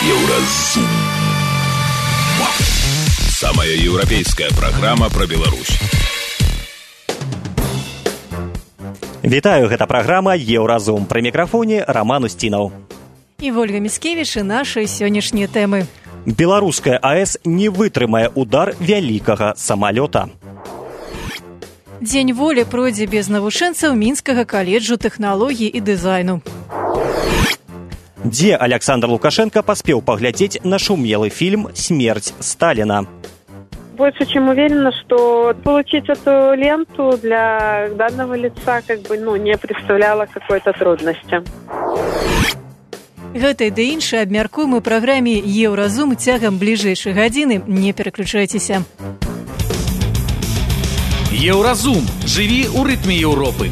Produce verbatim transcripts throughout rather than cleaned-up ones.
Еўразум. Самая еўрапейская праграма пра Беларусь. Вітаю, гэта праграма Еўразум. Пры мікрафоне Роман Устінаў. І Вольга Міскевіч і нашы сённяшнія тэмы. Беларуская АЭС не вытрымае удар вялікага самалёта. Дзень волі пройдзе без навучэнцаў Мінскага каледжу тэхналогій і дызайну. Дзе Александр Лукашенко паспеў паглядзець нашумелый фильм «Смерть Сталина». Больше чем уверена, что получить эту ленту для данного лица как бы, ну, не представляло какой-то трудности. Гэта і да іншае абмяркуем у праграме «Еўразум» цягам бліжэйшай гадзіны. Не пераключайцеся. Еўразум. Жыві ў рытме Еўропы.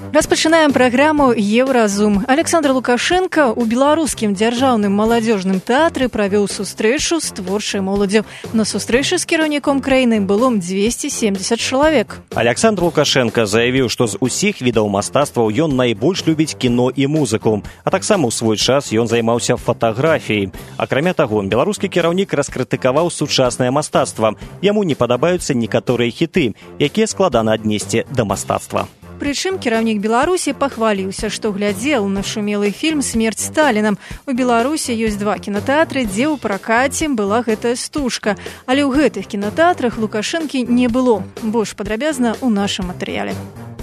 Распачынаем праграму «Еўразум». Александр Лукашенко ў беларускім дзяржаўным маладзёжным тэатры правёў сустрэчу з творчай моладдзю. На сустрэчы з кіраўніком краіны было дзвесце семдзесят чалавек. Александр Лукашенко заявіў, што з усіх відаў мастацтваў ён найбольш любіць кіно і музыку, а таксама ў свой час ён займаўся фатаграфіяй. Акрамя таго, беларускі кіраўнік раскрытыкаваў сучаснае мастацтва. Яму не падабаюцца некаторыя хіты, якія складана аднесці да мастацтва. Прычым кіраўнік Беларусі пахваліўся, што глядзеў на шумелы фільм «Смерть Сталина». У Беларусі ёсць два кінатэатры, дзе ў пракаце была гэтая стужка. Але ў гэтых кінатэатрах Лукашэнкі не было. Больш падрабязна ў нашым матэрыяле.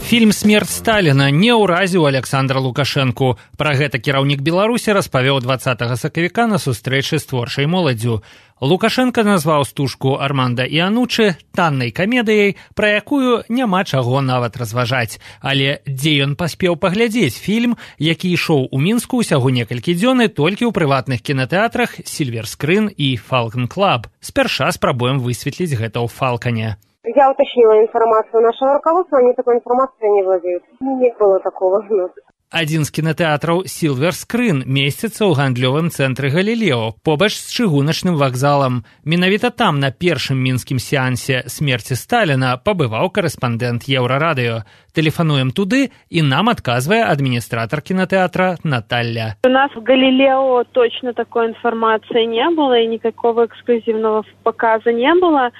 Фільм «Смерть Сталина» не ўразіў Александра Лукашэнку. Пра гэта кіраўнік Беларусі распавёў дваццатага сакавіка на сустрэчы з творчай моладдзю. Лукашенко назваў стужку Арманда Іанучы таннай камедыяй, пра якую няма чаго нават разважаць. Але дзе ён паспеў паглядзець фільм, які ішоў у Мінску ўсяго некалькі дзён і толькі ў прыватных кінатэатрах «Сільвер Скрын» і «Фалкон Клаб». Спярша спрабуем высветліць гэта ў «Фалконе». Я уточнила информацию нашего руководства, они такой информацией не владеют. Не было такого. Адзін з кінатэатраў «Сільвер Скрын» месціцца ў гандлёвым цэнтры «Галілео», побач з чыгуначным вакзалам. Менавіта там на першым мінскім сеансе «Смерці Сталина» пабываў корэспандэнт Еўрарадыё. Тэлефануем туды, і нам адказвае адміністратар кінатэатра Наталья. У нас в «Галилео» точно такой информации не было, и никакого эксклюзивного показа не было.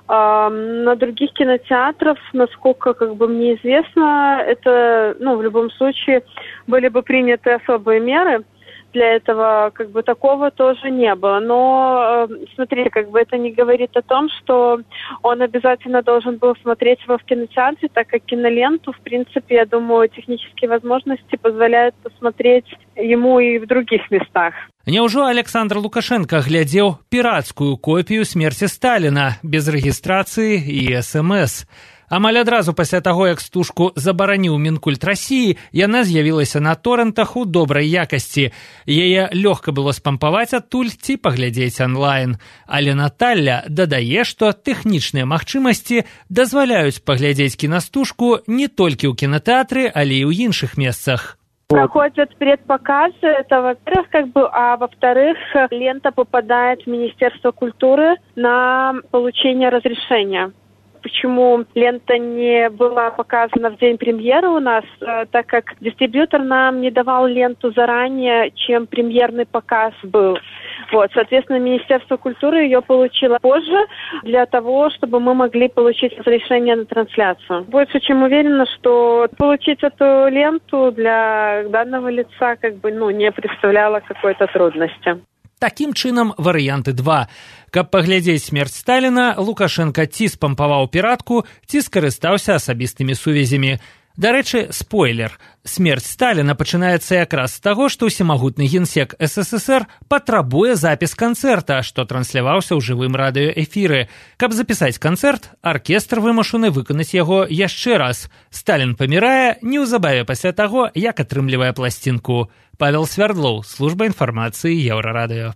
На других кинотеатрах, насколько как бы мне известно, это, ну, в любом случае были бы приняты особые меры. Для этого как бы такого тоже не было. Но, смотрите, как бы это не говорит о том, что он обязательно должен был смотреть его в кинотеатре, так как киноленту, в принципе, я думаю, технические возможности позволяют посмотреть ему и в других местах. Няўжо Александр Лукашенко глядзеў пірацкую копію «Смерці Сталина» без рэгістрацыі і эс эм эс. Амаль адразу пасля таго, як стужку забараніў Мінкульт Расіі, яна з'явілася на торрентах у добрай якасці. Яе лёгка было спампаваць адтуль ці паглядзець онлайн. Але Наталья дадае, што тэхнічныя магчымасці дазваляюць паглядзець кінастужку не толькі ў кінатэатры, але і ў іншых месцах. Проходят предпоказы, это во-первых, как бы, а во-вторых, лента попадает в Министерство культуры на получение разрешения. Почему лента не была показана в день премьеры у нас, так как дистрибьютор нам не давал ленту заранее, чем премьерный показ был. Вот, соответственно, Министерство культуры ее получило позже для того, чтобы мы могли получить разрешение на трансляцию. Больше чем уверена, что получить эту ленту для данного лица как бы, ну, не представляло какой-то трудности. Такім чынам, варыянты два. Каб паглядзець «Смерць Сталина», Лукашенко ці спампаваў піратку, ці скарыстаўся асабістымі сувязямі. Дарэчы, спойлер. «Смерць Сталина» пачынаецца якраз з таго, што ўсемагутны генсек эс эс эс эр патрабуе запіс канцэрта, што трансляваўся ў жывым радыёэфіры. Каб запісаць канцэрт, аркестр вымушаны выканаць яго яшчэ раз. Сталін памірае неўзабаве пасля таго, як атрымлівае пласцінку. Павел Свярдлоў, служба інфармацыі Еўрарадыё.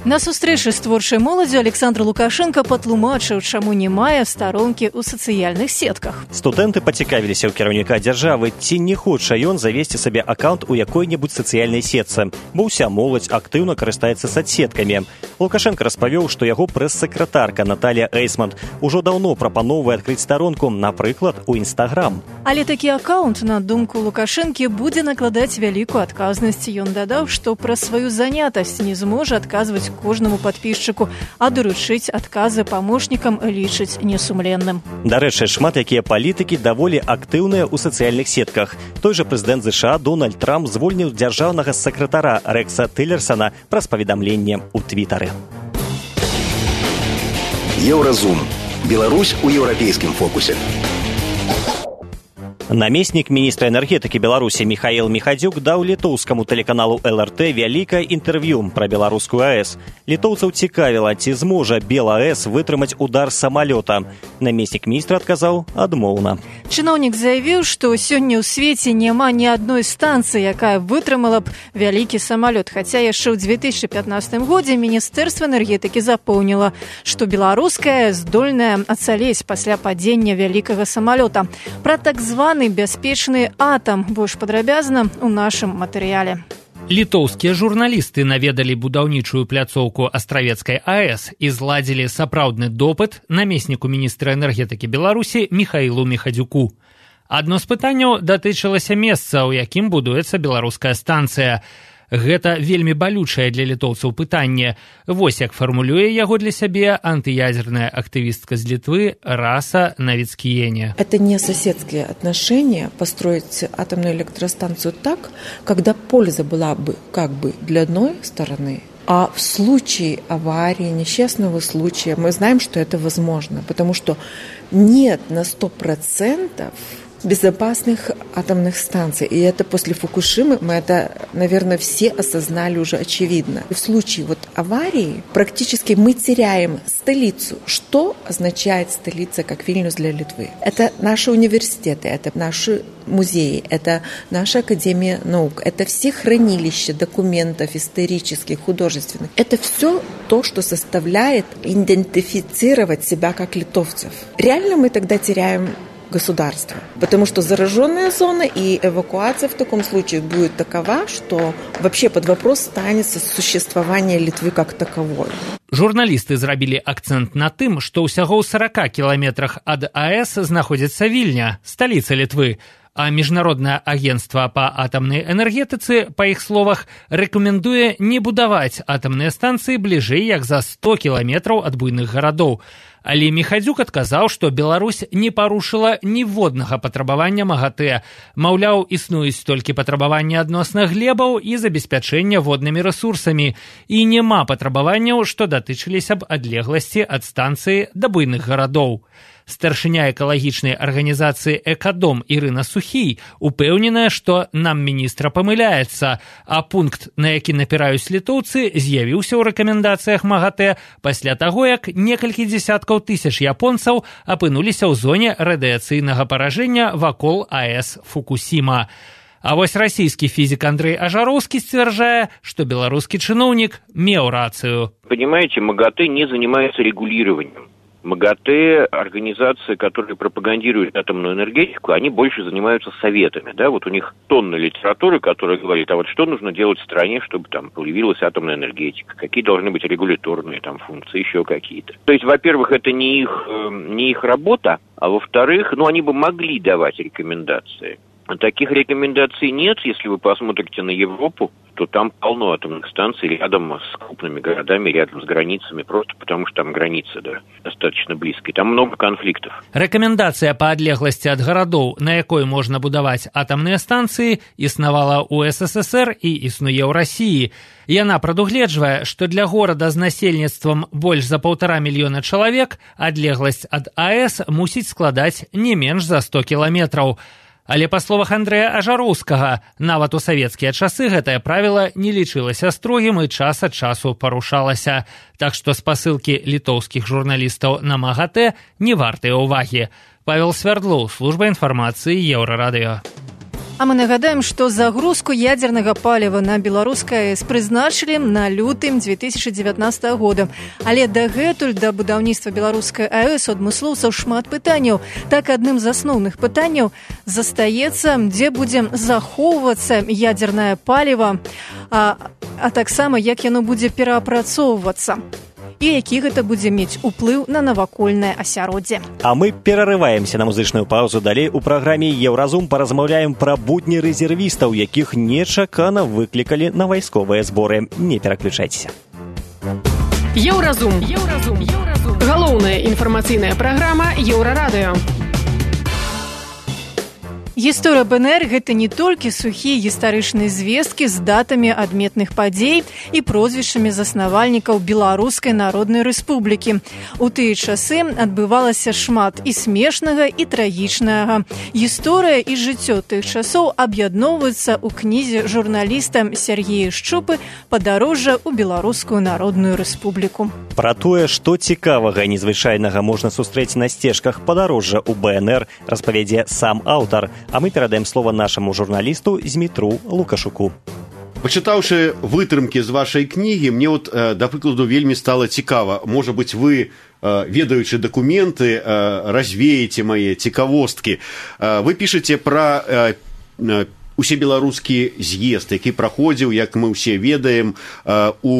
На сустрэчы з творчай моладзю Александр Лукашенко патлумачыў, чаму не мае старонкі ў сацыяльных сетках. Студэнты пацікавіліся ў кіраўніка дзяржавы, ці не хоча ён завесці сабе аккаунт у якой-небудзь сацыяльнай сетцы, бо ўся моладзь актыўна карыстаецца соцсеткамі. Лукашенко распавёў, што яго прэс-сакратарка Наталья Эйсмонт ужо даўно прапановвае адкрыць старонку, напрыклад, у Інстаграм. Але такі аккаунт, на думку Лукашэнкі, будзе накладаць вялікую адказнасць. Ён дадаў, што пра сваю занятасць не зможа адказваць кожнаму падпісчыку, а даручыць адказы памочнікам лічыць несумленным. Дарэчы, шмат якія палітыкі даволі актыўныя ў сацыяльных сетках. Той жа прэзідэнт ЗША Дональд Трамп звольніў дзяржаўнага сакратара Рэкса Тиллерсона праз паведамленне ў Твітары. Еўразум. Беларусь у еўрапейскім фокусе. Намеснік міністра энергетыкі Беларусі Міхаіл Міхадзюк даў літоўскаму тэлеканалу эл эр тэ вялікае інтэрв'ю пра беларускую АЭС. Літоўцаў цікавіла, ці зможа БелАЭС вытрымаць удар самалёта. Намеснік міністра адказаў адмоўна. Чыноўнік заявіў, што сёння ў свеце няма ні адной станцыі, якая вытрымала б вялікі самалёт. Хаця яшчэ ў дзве тысячы пятнаццатым годзе Міністэрства энергетыкі запэўніла, што беларуская здольная ацалець пасля падзення вялікага самалёта. Пра так званы бяспечны атам больш падрабязна ў нашым матэрыяле. Літоўскія журналісты наведалі будаўнічую пляцоўку Астравецкай АЭС і зладзілі сапраўдны допыт намесніку міністра энергетыкі Беларусі Міхаілу Міхадзюку. Адно з пытанняў датычылася месца, у якім будуецца беларуская станцыя. Гэта вельмі балючае для літоўцаў пытанне. Вось як фармулюе яго для сябе антыядерная актывістка з Литвы Раса Новицкиене. Это не соседские отношения построить атомную электростанцию так, когда польза была бы как бы для одной стороны, а в случае аварии, несчастного случая, мы знаем, что это возможно, потому что нет на сто процентов безопасных атомных станций. И это после Фукушимы, мы это, наверное, все осознали уже очевидно. В случае вот аварии практически мы теряем столицу. Что означает столица, как Вильнюс для Литвы? Это наши университеты, это наши музеи, это наша Академия наук, это все хранилища документов исторических, художественных. Это все то, что составляет идентифицировать себя как литовцев. Реально мы тогда теряем государства. Потому что зараженная зона и эвакуация в таком случае будет такова, что вообще под вопрос станется существование Литвы как таковой. Журналісты зрабілі акцэнт на тым, што ўсяго ў сорока кіламетрах ад АЭС знаходзіцца Вільня, сталіца Літвы, а Міжнароднае агенцтва па атамнай энергетыцы, па іх словах, рэкамендуе не будаваць атамныя станцыі бліжэй як за сто кіламетраў ад буйных гарадоў. Але Міхадзюк адказаў, што Беларусь не парушыла ніводнага патрабавання МАГАТЭ. Маўляў, існуюць толькі патрабаванні адносна глебаў і забеспячэння воднымі рэсурсамі. І няма патрабаванняў, што датычыліся б адлегласці ад станцыі да буйных гарадоў. Старшыня экалагічнай арганізацыі «Экадом» Ірына Сухій упэўненая, што нам міністра памыляецца, а пункт, на які напіраюць літоўцы, з'явіўся ў рэкамендацыях МАГАТЭ пасля таго, як некалькі дзесяткаў тысяч японцаў апынуліся ў зоне радыяцыйнага паражэння вакол АЭС Фукусіма. А вось расійскі фізік Андрей Ажароўскі сцвярджае, што беларускі чыноўнік меў рацыю. Понимаете, МАГАТЭ не занимается регулированием. МАГАТЭ, организации, которые пропагандируют атомную энергетику, они больше занимаются советами, да, вот у них тонна литературы, которая говорит, а вот что нужно делать в стране, чтобы там появилась атомная энергетика, какие должны быть регуляторные там функции, еще какие-то. То есть, во-первых, это не их, не их работа, а во-вторых, ну, они бы могли давать рекомендации. Таких рекомендаций нет, если вы посмотрите на Европу, то там полно атомных станций рядом с крупными городами, рядом с границами, просто потому что там границы, да, достаточно близкие. Там много конфликтов. Рэкамендацыя па адлегласці ад гарадоў, на якой можна будаваць атамныя станцыі, існавала ў СССР і існуе ў Расіі. Яна прадугледжвае, што для горада з насельніцтвам больш за паўтара мільёна чалавек адлегласць ад АЭС мусіць складаць не менш за сто кіламетраў. Але па словах Андрэя Ажароўскага, нават у савецкія часы гэтае правіла не лічылася строгім і час ад часу парушалася. Так што спасылкі літоўскіх журналістаў на МАГАТЭ не вартыя ўвагі. Павел Свярдлоў, служба інфармацыі Еўрарадыё. А мы нагадаем, што загрузку ядзернага паліва на беларускай АЭС прызначылі на лютым две тысячи девятнадцатого года. Але дагэтуль да будаўніцтва беларускай АЭС у адмыслоўцаў шмат пытанняў. Так, адным з асноўных пытанняў застаецца, дзе будзе захоўвацца ядзернае паліва, а, а таксама як яно будзе пераапрацоўвацца. І які гэта будзе мець уплыў на навакольнае асяроддзе. А мы перарываемся на музычную паузу. Далей у праграме «Еўразум» паразмаўляем пра будні рэзервістаў, якіх нечакана выклікалі на вайсковыя зборы. Не пераключайцеся. Еўразум. Еўразум. Еўразум. Галоўная інфармацыйная праграма Еўрарадыё. Гісторыя БНР – гэта не толькі сухія гістарычныя звесткі з датамі адметных падзей і прозвішчамі заснавальнікаў Беларускай Народнай Рэспублікі. У тыя часы адбывалася шмат і смешнага, і трагічнага. Гісторыя і жыццё тых часоў аб'ядноўваюцца ў кнізе журналіста Сергея Шчупы «Падарожжа ў Беларускую Народную Рэспубліку». Пра тое, што цікавага і незвычайнага можна сустрэць на сцежках падарожжа ў БНР, распавядзе сам аўтар. А мы перадаем слово нашаму журналісту Змітру Лукашуку. Пачытаўшы вытрымкі з вашай кнігі, мне вот, да прыкладу, вельмі стала цікава. Можа быць, вы, ведаючы дакументы, развееце мае цікавосткі. Вы пішаце пра усебеларускі з'езд, які праходзіў, як мы ўсе ведаем, у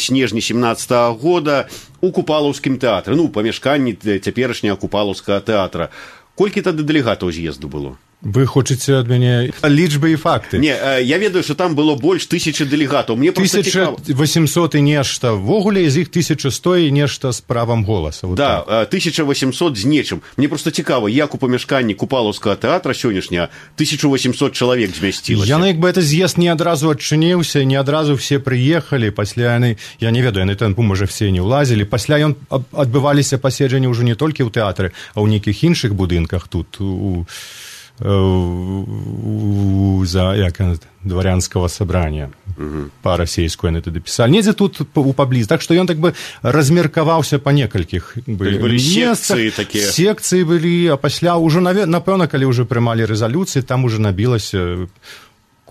снежні семнадцатага года у Купалаўскім тэатры, ну, памяшканні цяперашняга Купалаўскага тэатра. Колькі тады дэлегатаў з'езду было? Вы хочаце ад мяне лічбы і факты? Не, я ведаю, што там было больш тысячы дэлегатаў. Мне проста цікава. тысяча восемьсот і нешта. Ввогуле з іх тысяча сто і нешта з правам голаса. Вот да, так. тысяча восемьсот з нечым. Мне проста цікава, як у памяшканні Купалаўскага тэатра сённяшняга тысяча восемьсот чалавек змясцілася. Яны, як бы, это з'езд не адразу адчыніўся, не адразу все прыехалі, пасля яны, я не ведаю, яны там, можа, все не ўлазілі. Пасля ён адбываліся паседжанні ўжо не толькі ў тэатры, а ў нейкіх іншых будынках тут, у за як дворянского собрания угу. По-расейску яны тады пісалі. Недзе тут у пабліз. Так што ён так бы размеркаваўся па некалькіх секцыі такія. Секцыі былі, а пасля ўжо, напэўна, калі ўжо прымалі рэзалюцыі, там уже набілася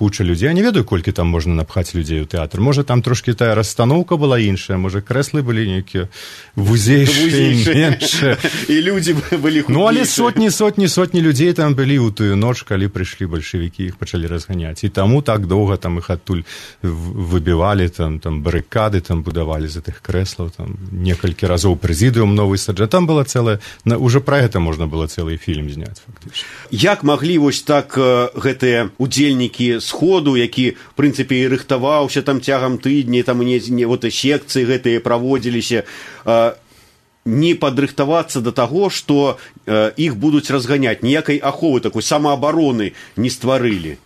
куча людзей. Я не ведаю, колькі там можна напхаць людзей у тэатр. Можа, там трошкі тая расстаноўка была іншая, можа, крэслы былі нейкія вузейшыя, меншыя. І людзі былі худзейшыя. Ну, але сотні, сотні, сотні людзей там былі ў тую ноч, калі прыйшлі бальшавікі, іх пачалі разганяць. І таму так доўга там іх адтуль выбівалі, там, там барыкады там будавалі з гэтых крэслаў, там некалькі разоў прэзідыум новы саджа. Там была цэлая, уже пра гэта можна было цэлы фільм зняць, фактычна. Як маглі вось так гэтыя удзельнікі сходу, які, в прынцыпе, і рыхтаваўся там цягам тыдні, там не, не вот секцыі гэтыя праводзіліся, э, не падрыхтавацца да таго, што э, іх будуць разганяць, ніякай аховы такой самаабароны не стварылі.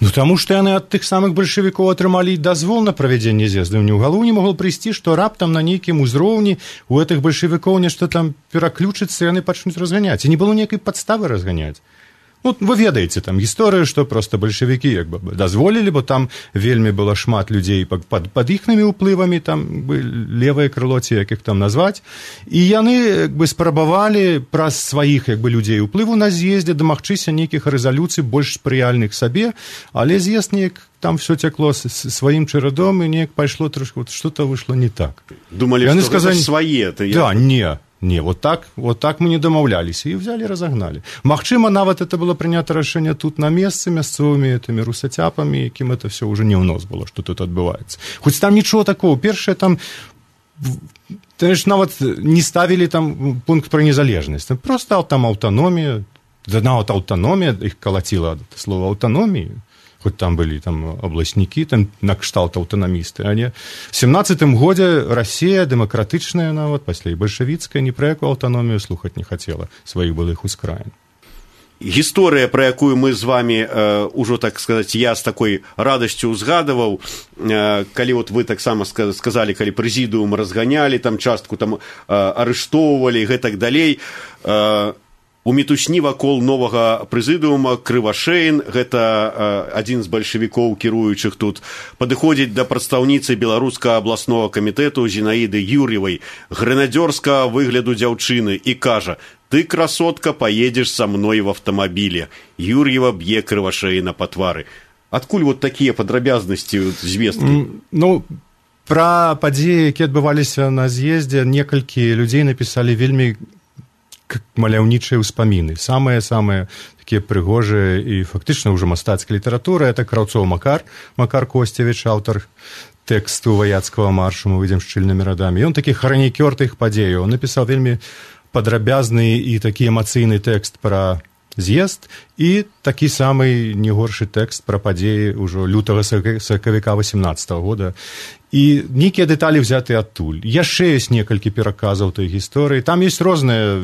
Ну, таму што яны ад тых самых бальшавікоў атрымалі дазвол на правядзенне з'езду. Ні ў галоў не могла прыйсці, што раптам на нейкім узроўні у гэтых бальшавікоў нешта там пераключыцца, яны пачнуць разганяць. І не было ніякай падставы разганяць. Ну, вы ведаеце там гісторыю, што проста бальшавікі як бы дазволілі, бо там вельмі было шмат людзей пад, пад іхнымі ўплывамі, там бы левае крыло, ці як іх там назваць. І яны як бы спрабавалі праз сваіх як бы людзей уплыву на з'ездзе дамагчыся нейкіх рэзалюцый больш спрыяльных сабе, але з'езд неяк там все цякло сваім чарадом, і неяк пайшло трошки, вот што-то выйшло не так. Думалі, яны што сказали, гэта свае. Да, я... не. Не, вот так, вот так мы не домаўляліся і взяли, разогнали. Магчыма, нават это было прынята рашэнне тут на месцы мясцовымі этими русацяпамі, якім это все уже не ў нос было, што тут адбываецца. Хоць там нічого такого. Першае там ж нават не ставілі там пункт пра незалежнасць. Просто там аўтаномія, нават аўтаномія, іх калаціла слова аўтаноміі. Хоць там былі там абласнікі, там накшталт аўтанамісты. А не в семнадцатым годзе Расія дэмакратычная нават, пасля і бальшавіцкая, ні пра якую аўтаномію слухаць не хацела сваіх былых ускраін. Гісторыя, пра якую мы з вами э, ужо, так сказаць, я з такой радасцю узгадаваў, э, калі вот вы таксама сказалі, калі прэзідыум разганялі, там частку там э, арыштоўвалі і гэтак далей, э, у мітусні вакол новага прэзідыума Крывашэйн, гэта э, адзін з бальшавікоў, кіруючых тут, падыходзіць да прадстаўніцы беларускага абласнога камітэту Зінаіды Юр'евай, грэнадзёрскага выгляду дзяўчыны, і кажа: ты, красотка, поедешь со мной в автомобиле. Юрьева б'е крывашеіна па твары. Адкуль вот такія падрабязнасці звесткі? Ну, пра падзеі, якія адбываліся на з'ездзе, некалькі людзей напісалі вельмі маляўнічыя ўспаміны. Самыя-самыя такія прыгожыя і фактычна ўжо мастацкая літаратура. Это Краўцоў Макар, Макар Косцевіч, аўтар тэксту ваяцкага маршу «Мы выйдзем шчыльнымі радамі». Ён такі хранікёр тых падзеяў. Он напісаў вельмі падрабязны і такі эмацыйны тэкст пра з'езд і такі самы не горшы тэкст пра падзеі ўжо лютага сакавіка восемнадцатого года. І нейкія дэталі взяты адтуль. Яшчэ ёсць некалькі пераказаў той гісторыі. Там ёсць розныя,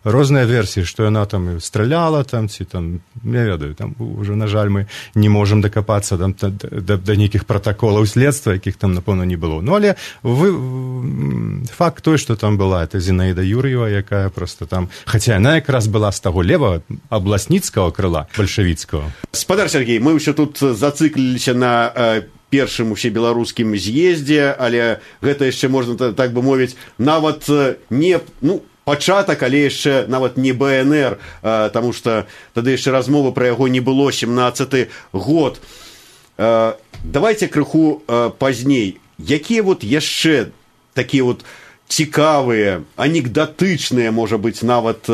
розныя версіі, што яна там страляла, там, ці там, не ведаю, там уже, на жаль, мы не можам дакапацца там, да, да, да нейкіх пратаколаў следства, якіх там, напэўна, не было. Ну, але вы, факт той, што там была, это Зінаіда Юр'ева, якая просто там, хаця яна якраз была з таго левага абласніцкага крыла, бальшавіцкага. Спадар Сергей, мы ўсё тут зацыкліліся на першым усебеларускім з'ездзе, але гэта яшчэ можна, так бы мовіць, нават не, ну, пачатак, але яшчэ нават не бэ эн эр, таму што тады яшчэ размовы пра яго не было, семнаццаты год. Давайте крыху пазней. Якія вот яшчэ такія вот цікавыя, анекдатычныя, можа быць, нават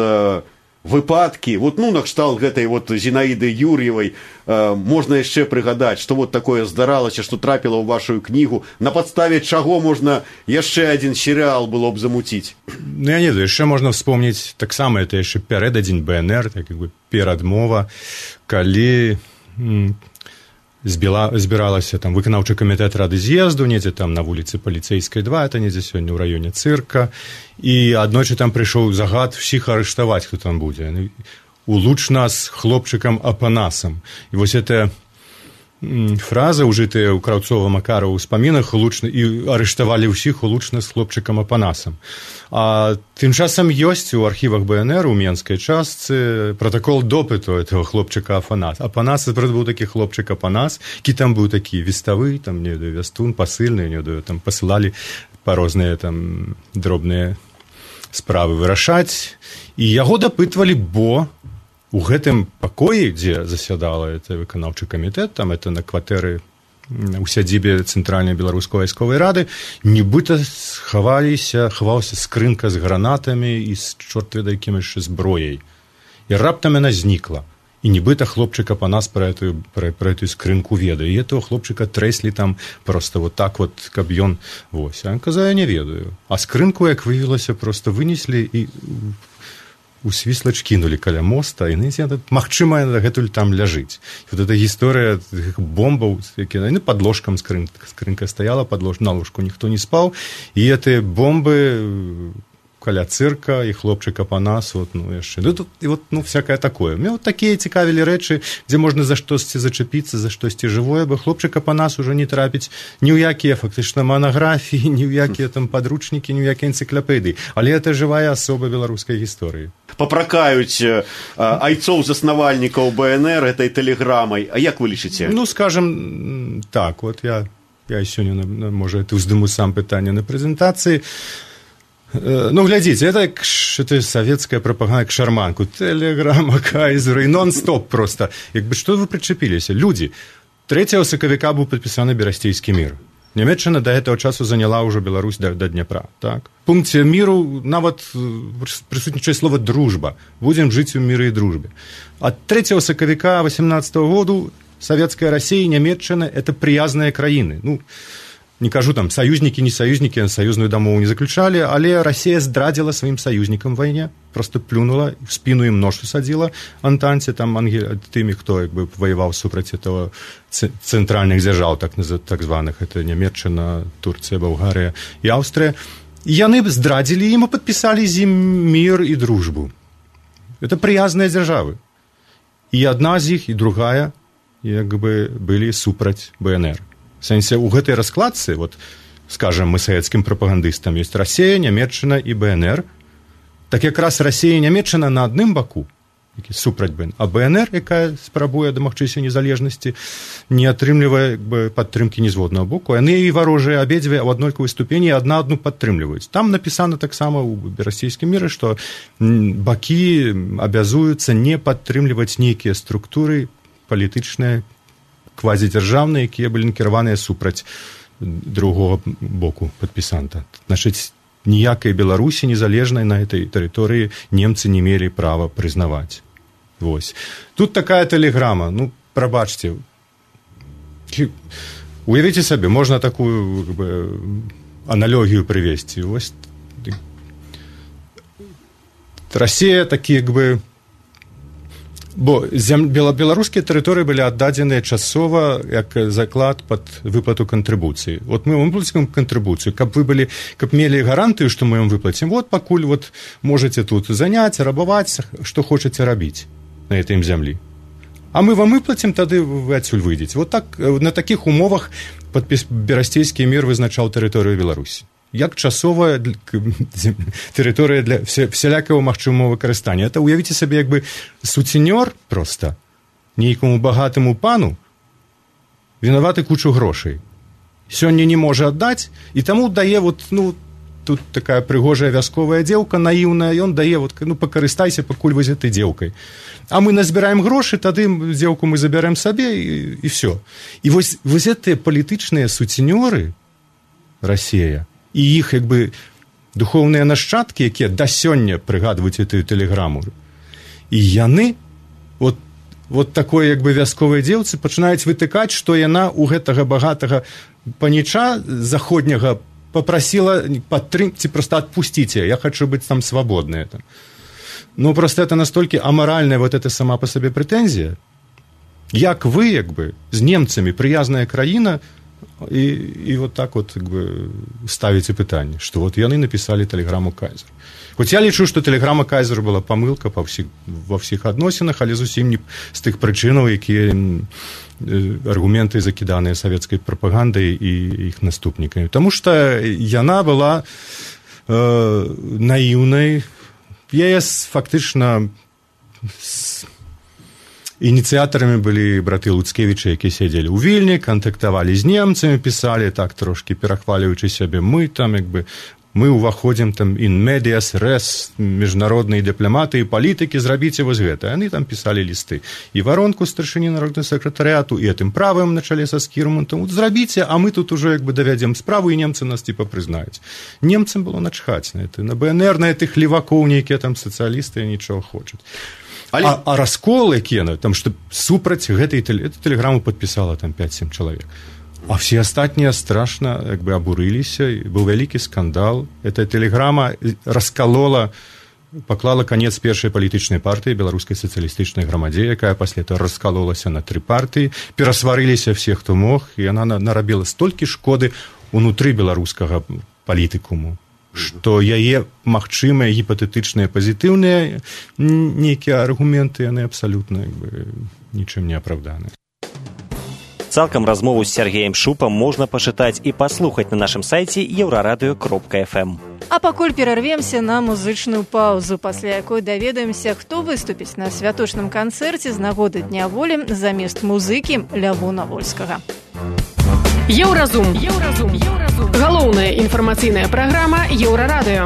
выпадкі, вот, ну, накшталт гэтай вот Зінаіды Юр'евай, э, можна яшчэ прыгадаць, што вот такое здаралася, што трапіла ў вашу кнігу, на падставе чаго можна яшчэ адзін серыял было б замуціць? Ну, я не ведаю, яшчэ можна вспомніць, таксама это яшчэ пярэдадзень бэ эн эр, так як бы перадмова, калі м, збіла, збіралася там выканаўчы камітэт рады з'езду, недзе там на вуліцы Паліцэйскай два, это недзе сёння ў раёне цырка, і аднойчы там прыйшоў загад всіх арыштаваць, хто там будзе. Улуч нас хлопчыкам Апанасам. І вось эта фраза, ужытая ў Краўцова Макара ў успамінах, улучна, і арыштавалі ўсіх улучна з хлопчыкам Апанасам. А тым часам ёсць у архівах бэ эн эр у менскай частцы протакол допыту этого хлопчыка Апанас. Апанас, это быў такі хлопчык Апанас, які там быў такі веставы, там, не ведаю, вястун, пасыльны, не ведаю, там пасылалі па розныя там дробныя справы вырашаць. І яго дапытвалі, бо у гэтым пакоі, дзе засядала это выканаўчы камітэт, там это на кватэры у сядзібе Цэнтральнай беларускай вайсковай рады, нібыта схаваліся, хавалася скрынка з гранатамі і з чорт ведае якім яшчэ зброяй. І раптам яна знікла. І нібыта хлопчык Апанас пра эту, пра, пра эту скрынку ведае. І этого хлопчыка трэслі там просто вот так вот, каб ён... Вось. А ён казаў, я не ведаю. А скрынку, як выявілася, просто вынеслі і у свіслач кінулі каля моста, і магчыма, гэтуль там ляжыць. І вот эта гісторыя бомбаў, якія, ну, пад ложкам скрынка, скрынка стаяла, пад лож, на ложку ніхто не спаў, і гэтыя бомбы каля цырка, і хлопчык Апанас, вот, ну, яшчэ. Ну, тут, і вот, ну, всякае такое. Мне вот такія цікавілі рэчы, дзе можна за штосьці зачапіцца, за штосьці жывое, бо хлопчык Апанас ужо не трапіць ні ў якія, фактычна, манаграфіі, ні ў якія там падручнікі, ні ў якія энцыклапедыі. Але это жывая асоба беларускай гісторыі. Папракаюць э, айцоў-заснавальнікаў бэ эн эр этой тэлеграмай. А як вы лічыце? Ну, скажем, так, вот я, я сёння, можа, это ўздыму сам пытанне на прэзентацыі. Ну, глядзіце, это, это савецкая прапаганда к шарманку. Тэлеграма, кайзеры, нон-стоп просто. Як бы, што вы прычапіліся? Людзі, трэцяга сакавіка быў падпісаны Берасцейскі мір. Нямецчына да гэтага часу заняла ўжо Беларусь да, да Дняпра. Так? В пункце міру нават прысутнічае слова «дружба». Будзем жыць у міры і дружбе. Ад трэцяга сакавіка восемнадцатого году Савецкая Расія і Нямецчына – это прыязныя краіны. Ну, не кажу там, саюзнікі, не саюзнікі, саюзную дамову не заключалі, але Расія здрадзіла сваім саюзнікам вайне, просто плюнула, в спіну ім нож усадзіла Антанце, там, ангел, тымі, хто як бы ваяваў супраць этого цэнтральных дзяржаў, так, так званых, это Нямецчына, Турцыя, Балгарыя і Аўстрыя. І яны здрадзілі ім і падпісалі з ім мір і дружбу. Это прыязныя дзяржавы. І адна з іх, і другая, як бы былі супраць бэ эн эр. В сэнсе, у гэтай раскладцы, вот, скажем, мы савецкім прапагандыстам, ёсць Расія, Нямецчына і бэ эн эр, так якраз Расія і Нямецчына на адным баку, які супраць БНР. А БНР, якая спрабуе дамагчыся незалежнасці, не атрымлівае як бы, падтрымкі нізводнага боку. Яны і варожыя абедзве ў аднолькавай ступені адна адну падтрымліваюць. Там напісана таксама ў расійскім міры, што бакі абязуюцца не падтрымліваць нейкія структуры палітычныя, квазідзяржаўныя, якія былі накіраваныя супраць другога боку падпісанта. Значыць, ніякай Беларусі незалежнай на гэтай тэрыторыі немцы не мелі права прызнаваць. Вось. Тут такая тэлеграма, ну, прабачце. Уявіце сабе, можна такую как бы, аналогію прывесці. Вось. Расія такі, як бы, бо зем... беларускія тэрыторыі былі аддадзеныя часова як заклад пад выплату кантрыбуцыі. Вот мы вам выплацім кантрыбуцыю, каб вы былі, каб мелі гарантыю, што мы вам выплацім. Вот пакуль вот можаце тут заняць, рабаваць, што хочаце рабіць на гэтым зямлі. А мы вам выплацім, тады вы адсюль выйдзеце. Вот так на такіх умовах падпіс Берасцейскі мір вызначаў тэрыторыю Беларусі. Як часовая тэрыторыя для всялякага магчымага выкарыстання. Это уявіце сабе, як бы суценёр проста нейкаму багатаму пану вінаваты кучу грошай. Сёння не можа аддаць, і таму дае вот, ну, тут такая прыгожая вясковая дзеўка, наіўная, ён дае, вот, ну, пакарыстайся, пакуль вы з гэтай дзеўкай. А мы назбіраем грошы, тады дзеўку мы забярем сабе, і, і всё. І вось, вось гэтыя палітычныя суценёры Расія, і іх, як бы, духоўныя нашчадкі, якія да сёння прыгадваюць гэтую тэлеграму. І яны, от, вот такой, як бы, вясковай дзеўцы пачынаюць вытыкаць, што яна у гэтага багатага паніча заходняга папрасіла падтрым... ці проста адпусціце, я хочу быць там свабодная. Ну, просто это настолькі амаральная вот эта сама па сабе прэтэнзія. Як вы, як бы, з немцамі прыязная краіна, І, і вот так вот как бы, ставіце пытанне, што вот яны напісалі тэлеграму Кайзеру. Хоць я лічу, што тэлеграма Кайзеру была памылка па ўсіх, ва ўсіх адносінах, але зусім не з тых прычынаў, якія аргументы закіданыя савецкай прапагандай і іх наступнікамі. Таму што яна была э, наіўнай, яе фактычна ініцыятарамі былі браты Луцкевічы, якія сядзелі ў Вільні, кантактавалі з немцамі, пісалі так трошкі перахвалюючы сябе. Мы там, як бы, мы ўваходзім там in medias res, міжнародныя дыпламаты і палітыкі, зрабіце вось гэта. Яны там пісалі лісты. І варонку старшыні народнага сакратарыяту, і гэтым правым на чале са Скірмантам. Зрабіце, а мы тут ужо, як бы, давядзем справу, і немцы нас типа прызнаюць. Немцам было начхаць на это. На БНР, на гэтых левакоў, нейкія там сацыялісты нічого хочуць. Але... А, а раскол, які яны, там, што супраць гэтай тэлеграму падпісала там пяць-сем чалавек. А все астатнія страшна, як бы, абурыліся, быў вялікі скандал. Эта тэлеграма раскалола, паклала канец першай палітычнай партыі, беларускай сацыялістычнай грамадзе, якая пасля этого раскалолася на тры партыі, перасварыліся все, хто мог, і яна нарабіла столькі шкоды унутры беларускага палітыкуму, што яе магчымыя гіпатэтычныя пазітыўныя нейкія аргументы, яны абсалютна, як бы, нічым не апраўданыя. Цалкам размову з Сергеем Шупам можна пачытаць і паслухаць на нашым сайце еўрарадыё кропка эф эм. А пакуль перарвемся на музычную паузу, пасля якой даведаемся, хто выступіць на святочным канцэрце з нагоды Дня волі замест музыкі Лявона Вольскага. Еўразум. Еўразум. Еўразум. Галоўная інфармацыйная праграма Еўрарадыё.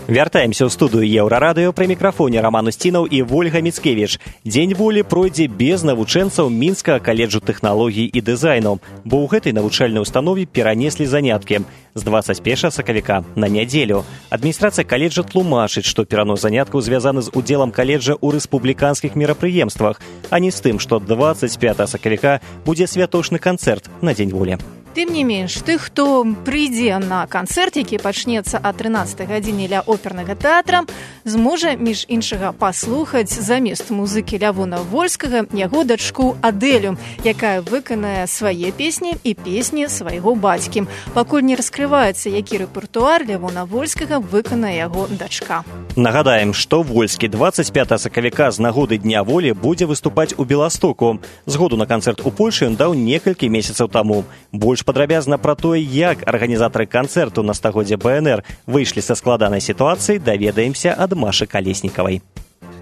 Вяртаемся ў студыю Еўрарадыё, пры мікрафоне Раман Усцінаў і Вольга Міцкевіч. Дзень волі пройдзе без навучэнцаў Мінскага каледжу тэхналогій і дызайну, бо ў гэтай навучальнай установе перанеслі заняткі з дваццаць першага сакавіка на нядзелю. Адміністрацыя каледжа тлумачыць, што перанос заняткаў звязаны з удзелам каледжа ў рэспубліканскіх мерапрыемствах, а не з тым, што дваццаць пятага сакавіка будзе святочны канцэрт на Дзень волі. Тым не менш, тых, хто прыйдзе на канцэрт, які пачнецца о трынаццатай гадзіне ля опернага тэатра, зможа, між іншага, паслухаць замест музыкі Лявона Вольскага яго дачку Адэлю, якая выканае свае песні і песні свайго бацькі. Пакуль не раскрываецца, які рэпертуар Лявона Вольскага выканае яго дачка. Нагадаем, што Вольскі дваццаць пятага сакавіка з нагоды Дня волі будзе выступаць у Беластоку. Згоду на канцэрт у Польшы ён даў некалькі месяцаў таму. Больш больш падрабязна пра тое, як арганізатары канцэрту на стагоддзе БНР выйшлі са складанай сітуацыі, даведаемся ад Машы Калеснікавай.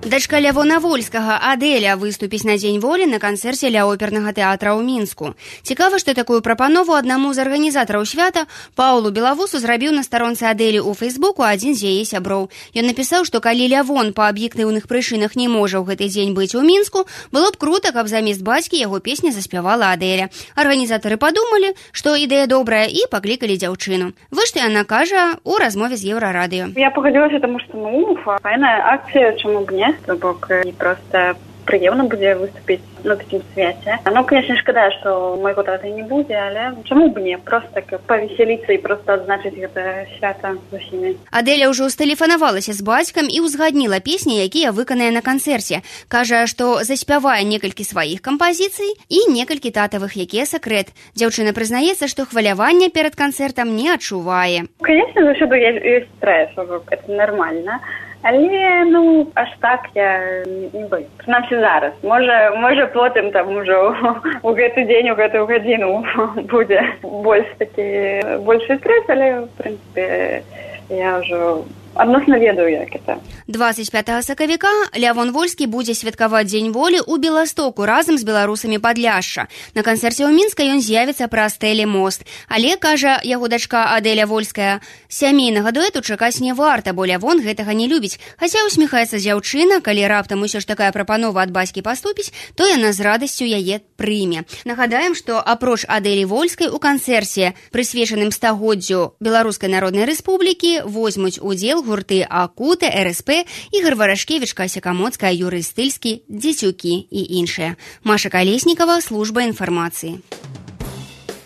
Дачка Лявона Вольскага Адэля выступіць на Дзень волі на канцэрце ля опернага тэатра ў Мінску. Цікава, што такую прапанову аднаму з арганізатараў свята Паулу Белавусу зрабіў на старонцы Адэлі ў Фэйсбуку адзін з яе сяброў. Ён напісаў, што калі Лявон па аб'ектыўных прычынах не можа ў гэты дзень быць у Мінску, было б крута, каб замест бацькі яго песня заспявала Адэля. Арганізатары падумалі, што ідэя добрая, і паклікалі дзяўчыну. Вось што яна кажа ў размове з Еўрарадыё. Я погодилась, потому что, ну, файная акция, чему бы не, то бок и просто приемно будет выступить на такім свяце. Ну, конечно, шкада, что майго тата не будзе, але чаму б не? Просто так павесяліцца і просто адзначыць гэта свята з усімі. Адэля ўжо стэлефанавалася з бацькам і ўзгадніла песні, якія выканае на канцэрце. Кажа, што заспявае некалькі сваіх кампазіцый і некалькі татавых, якія сакрэт. Дзяўчына прызнаецца, што хвалявання перад канцэртам не адчувае. Конечно, заўсёды ёсць стресс, это нормально. Але, ну, аж так я не боюсь. Прынамсі зараз. Можа, можа потым там ужо у гэты дзень, у гэтую гадзіну будзе больш такі, большы стресс, але, в прынцыпе, я ўжо адносна ведаю, як это. дваццаць пятага сакавіка Лявон Вольскі будзе святкаваць Дзень волі ў Беластоку разам з беларусамі Падляшша. На канцэрце ў Мінска ён з'явіцца праз тэлемост. Але, кажа яго дачка Адэля Вольская, сямейнага дуэту чакаць не варта, бо Лявон гэтага не любіць. Хаця усміхаецца дзяўчына, калі раптам усё ж такая прапанова ад бацькі паступіць, то яна з радасцю яе прыме. Нагадаем, што апроч Адэлі Вольскай у канцэрце, прысвечаным стагоддзю Беларускай Народнай Рэспублікі, возьмуць удзел гурты Акута, РСП, Ігор Варашкевіч, Кася Камоцкая, Юрый Стыльскі, Дзецюкі і іншыя. Маша Калеснікава, служба інфармацыі.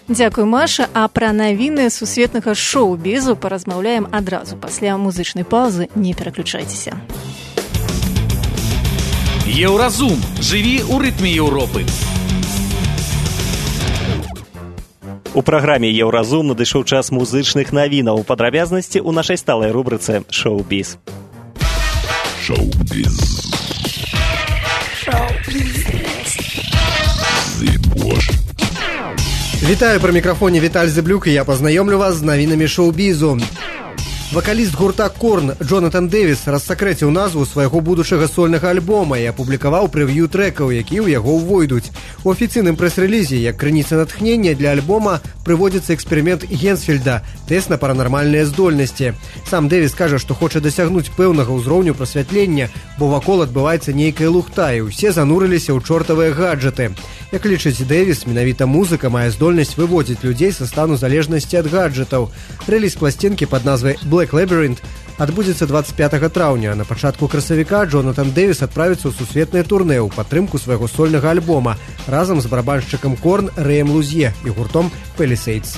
Дзякуй, Маша. А пра навіны сусветнага шоу-бізу паразмаўляем адразу пасля музычнай паўзы. Не пераключайцеся. Еўразум. Жыві ў рытме Еўропы. У праграме «Еўразум» надышоў час музычных навінаў. Падрабязнасці ў нашай сталай рубрыцы «Шоу-біз». Шоу-біз. Шоу-біз. Вітаю, пры мікрафоне Віталь Зэблюк, і я пазнаёмлю вас з навінамі шоу-бізу. Вакаліст гурта «Корн» Джонатан Дэвіс рассакрэціў назву свайго будучага сольнага альбома і апублікаваў прэв'ю трэкаў, якія ў яго ўвойдуць. У афіцыйным прэс-рэлізе, як крыніца натхнення для альбома, прыводзіцца эксперымент Генсфельда – тэст на паранармальныя здольнасці. Сам Дэвіс кажа, што хоча дасягнуць пэўнага ўзроўню прасвятлення, бо вакол адбываецца нейкая лухта, і ўсе занурыліся ў чортавыя гаджеты. Як лічыць Дэвіс, менавіта музыка мае здольнасць выводзіць людзей са стану залежнасці ад гаджетаў. Рэліз пласцінкі пад назвай «Black Labyrinth» адбудзецца дваццаць пятага траўня. На пачатку красавіка Джонатан Дэвіс адправіцца ў сусветнае турнэ ў падтрымку свайго сольнага альбома разам з барабаншчыкам «Корн» Рэем Лузье і гуртом «Palisades».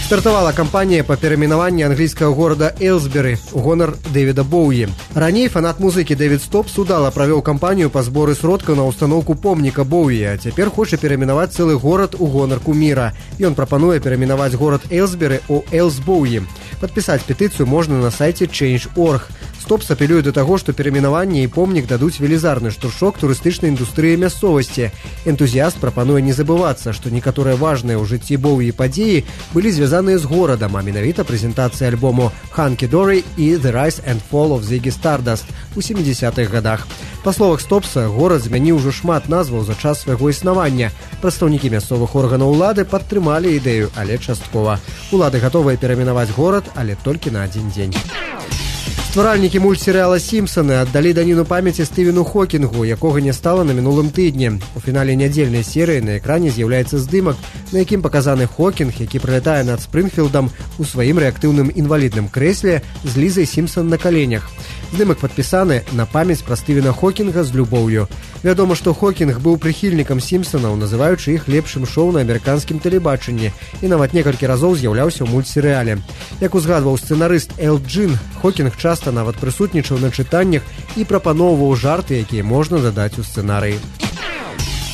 Стартавала кампанія па перайменаванні англійскага горада Эйлсбері ў гонар Дэвіда Боуі. Раней фанат музыкі Дэвід Стопс удала правёў кампанію па зборы сродкаў на ўстаноўку помніка Боуі, а цяпер хоча перайменаваць цэлы горад у гонар куміра. Ён прапануе перайменаваць горад Эйлсбері ў Эйлсбоуі. Падпісаць петыцыю можна на сайце чэйндж точка орг. Стопс апелюе да таго, што перайменаванне і помнік дадуць велізарны штуршок турыстычнай індустрыі мясцовасці. Энтузіяст прапануе не забывацца, што некаторыя важныя ў жыцці Боуі падзеі былі звязаныя з горадам, а менавіта прэзентацыя альбому «Hunky Dory» і «The Rise and Fall of Ziggy Stardust» у сямідзесятых гадах. Па словах Стопса, горад змяніў ужо шмат назваў за час свайго існавання. Прадстаўнікі мясцовых органаў улады падтрымалі ідэю, але часткова. Улады гатовыя перайменаваць горад, але толькі на адзін дзень. Стваральнікі мультсерыяла «Сімпсаны» аддалі даніну памяці Стывену Хокінгу, якога не стала на мінулым тыдні. У фінале нядзельнай серыі на экране з'яўляецца здымак, на якім паказаны Хокінг, які прылятае над Спрынгфілдам у сваім рэактыўным інвалідным крэсле з Лізай Сімпсан на каленях. Здымак падпісаны на памяць пра Стывена Хокінга з любоўю. Вядома, што Хокінг быў прыхільнікам «Сімпсанаў», называючы іх лепшым шоу на амерыканскім тэлебачанні, і нават некалькі разоў з'яўляўся ў мультсерыяле. Як узгадваў сцэнарыст Эл Джин, Хокінг часта нават прысутнічаў на чытаннях і прапаноўваў жарты, якія можна дадаць у сцэнарыі.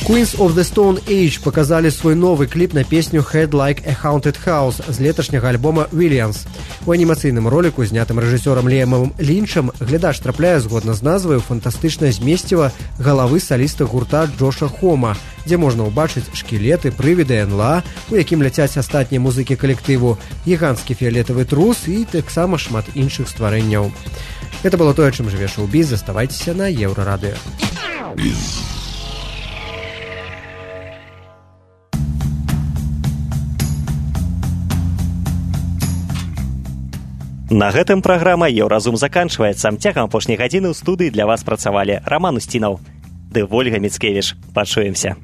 Queens of the Stone Age показали свой новый кліп на песню Head Like a Haunted House з леташняга альбома Williams. У анімацыйным роліку, знятым рэжысёрам Ліэмам Лінчам, глядач трапляе згодна з назвай фантастычнае змесціва галавы саліста гурта Джоша Хома, дзе можна ўбачыць шкілеты, прывіды эн-эл-а, у якім ляцяць астатнія музыкі калектыву, гіганцкі фіялетавы трус і таксама шмат іншых стварэнняў. Гэта было тое, чым жыве шоу-біз. Заставайцеся на Еўрарадыё. На гэтым праграма «Еўразум» заканчваецца. Цягам апошняй гадзіны ў студыі для вас працавалі Раман Устінаў ды Вольга Міцкевіч. Пачуемся.